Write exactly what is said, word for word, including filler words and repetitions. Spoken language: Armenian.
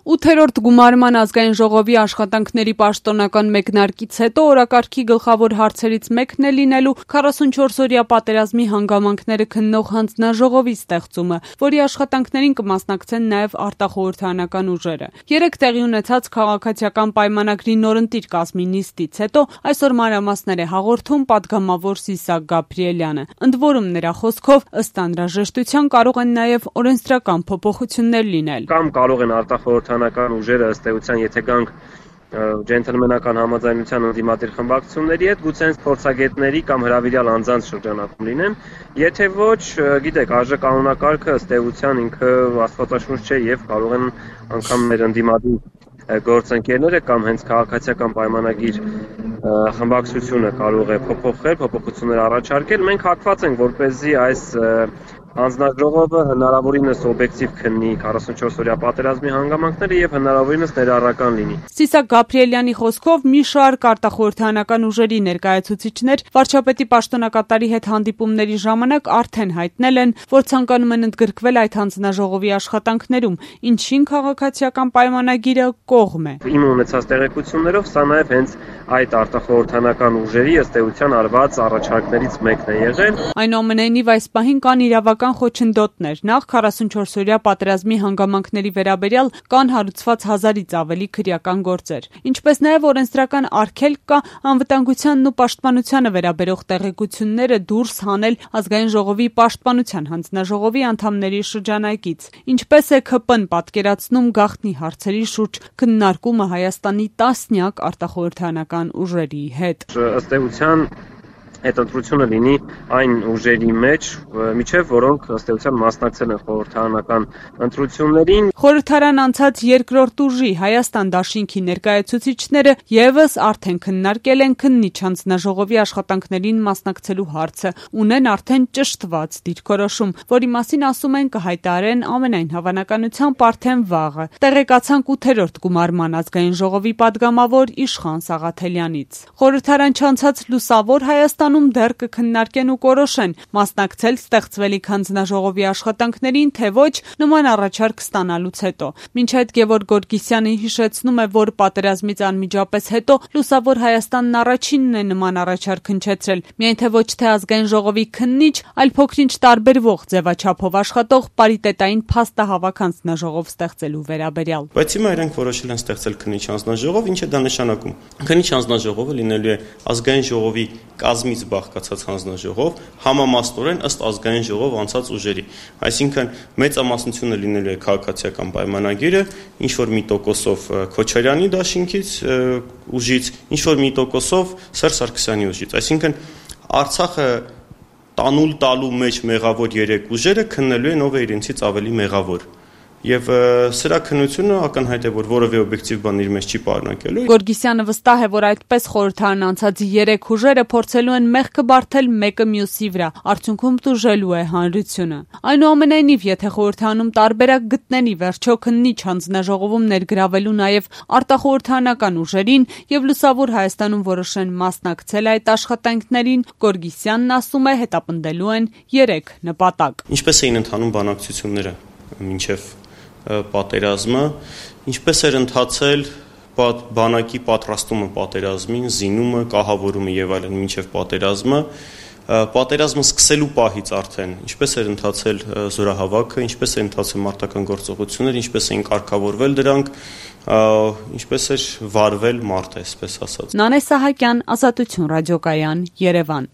Ութերորդ գումարման ազգային ժողովի աշխատանքների պաշտոնական մեկնարկից հետո օրակարգի գլխավոր հարցերից մեկն է լինելու քառասունչորսօրյա պատերազմի հանգամանքները քննող հանձնաժողովի ստեղծումը, որի աշխատանքներին կմասնակցեն նաև արտախորհրդարանական ուժերը։ Երեկ տեղի ունեցած քաղաքացիական պայմանագրի նորընտիր կազմի նիստից հետո այսօր մանրամասներ է հաղորդում պատգամավոր Սիսակ Գաբրիելյանը։ Ընդ որում նրա խոսքով ըստ անհրաժեշտության կարող են նաև օրենսդրական փոփոխություններ լինել։ Կամ կարող են արտախորհրդարանական ուժերը ըստ էության, եթե գանք ջենթլմենական համաձայնության ընդդիմադիր խմբակցությունների հետ, գուցե հենց փորձագետների կամ հրավիրյալ անձանց շրջանակում լինեն, եթե ոչ, գիտեք, արժե կանոնակարգը ըստ էության ինքը աստվածաշունչ չէ եւ կարող են անգամ մեր ընդդիմադիր գործընկերները կամ հենց քաղաքացիական պայմանագիր խմբակցությունը կարող է փոփոխել, փոփոխություններ առաջարկել։ Մենք հակված ենք, որպեսզի այս հանձնաժողովը հնարավորինս օբյեկտիվ քննի քառասունչորսօրյա պատերազմի հանգամանքները եւ հնարավորինս ներառական լինի։ Սիսակ Գաբրիելյանի խոսքով մի շարք արտախորհրդարանական ուժերի ներկայացուցիչներ վարչապետի պաշտոնակատարի հետ հանդիպումների ժամանակ արդեն հայտնել են, որ ցանկանում են ընդգրկվել այդ հանձնաժողովի աշխատանքներում, ինչին քաղաքացիական պայմանագիրը կողմ է։ Իմ ունեցած տեղեկություններով սա նաեւ հենց այդ արտախորհրդարանական ուժերի ըստ էության արված առաջարկներից մեկն է եղել։ Այնուամենայնիվ այս պահին կան իրավական խոչընդոտներ։ Նախ քառասունչորսօրյա պատերազմի հանգամանքների վերաբերյալ կան հարուցված հազարից ավելի քրեական գործեր, ինչպես նաև օրենսդրական արգելք կա անվտանգությանն ու պաշտպանությանը վերաբերող տեղեկությունները դուրս հանել ազգային ժողովի պաշտպանության հանձնաժողովի անդամների շրջանակից։ Ինչպես է ՔՊ-ն պատկերացնում գաղտնի հարցերի շուրջ քննարկումը Հայաստանի տասնյակ արտախորհրդարանական ուժերի հետ։ Ըստ էության այդ ընտրությունը լինի այն ուժերի մեջ, միջև որոնք ըստ էության մասնակցել են խորհրդարանական ընտրություններին։ Խորհրդարան անցած երկրորդ ուժի Հայաստան դաշինքի ներկայացուցիչները եւս արդեն քննարկել են քննիչ հանձնաժողովի աշխատանքներին մասնակցելու հարցը, ունեն արդեն ճշտված դիրքորոշում, որի մասին ասում են կհայտարարեն ամենայն հավանականությամբ արդեն վաղը։ Տեղեկացանք ութերորդ գումարման ազգային ժողովի պատգամավոր Իշխան Սաղաթելյանից։ Խորհրդարան չանցած լուսավոր Հայաստան դեռ կքննարկեն ու կորոշեն մասնակցել ստեղծվելիք հանձնաժողովի աշխատանքներին, թե ոչ նման առաջարկ ստանալուց հետո։ Մինչ այդ Գևորգ Գորգիսյանը հիշեցնում է, որ պատերազմից անմիջապես հետո լուսավոր Հայաստանն առաջինն է նման առաջարկ հնչեցրել, միայն թե ոչ թե ազգային ժողովի քննիչ, այլ փոքրինչ տարբերվող ձևաչափով աշխատող պարիտետային փաստահավաք հանձնաժողով ստեղծելու վերաբերյալ։ Բայց հիմա իրենք որոշել են ստեղծել քննիչ հանձնաժողով, ինչ է դա նշանակում։ Քննիչ հանձնաժողովը լինելու է ազգային ժողովի կազմից բաղկացած հանձնաժողով, համամասնորեն ըստ ազգային ժողով անցած ուժերի։ Այսինքն մեծամասնությունը լինելու է քաղաքացիական պայմանագիրը, ինչ որ մի տոկոսով Քոչարյանի դաշինքից ուժից, ինչ որ մի տոկոսով Սերժ Սարգսյանի ուժից։ Այսինքն Արցախը տանուլ տալու մեջ մեղավոր երեք ուժերը քննելու են ով է իրենցից ավելի մեղավոր։ Եվ սրա քննությունը ակնհայտ է, որ որևէ օբյեկտիվ բան իր մեջ չի պարունակելու։ Գորգիսյանը վստահ է, որ այդպես խորհրդարան անցած երեք ուժերը փորձելու են մեղքը բարթել մեկը մյուսի վրա, արդյունքում տուժելու է հանրությունը։ Այնուամենայնիվ, եթե խորհրդարանում տարբերակ գտնեն ի վերջո քննիչ հանձնաժողովում ներգրավելու նաև արտախորհրդարանական ուժերին եւ լուսավոր Հայաստանում որոշեն մասնակցել այդ աշխատանքներին, Գորգիսյանն ասում է, հետապնդելու են երեք նպատակ։ Ինչպես էին ընթանում բանակցությունները մինչև պատերազմը, ինչպես էր ընթացել բանակի պատրաստումը պատերազմին, զինումը, կահավորումը եւ այլն մինչև պատերազմը, պատերազմը սկսելու պահից արդեն, ինչպես էր ընթացել զորահավաքը, ինչպես էր ընթացել մարտական գործողությունները, ինչպես էին կարգավորվել դրանք, ինչպես էր վարվել մարտը, այսպես ասած։ Նանե Սահակյան, Ազատություն ռադիոկայան, Երևան։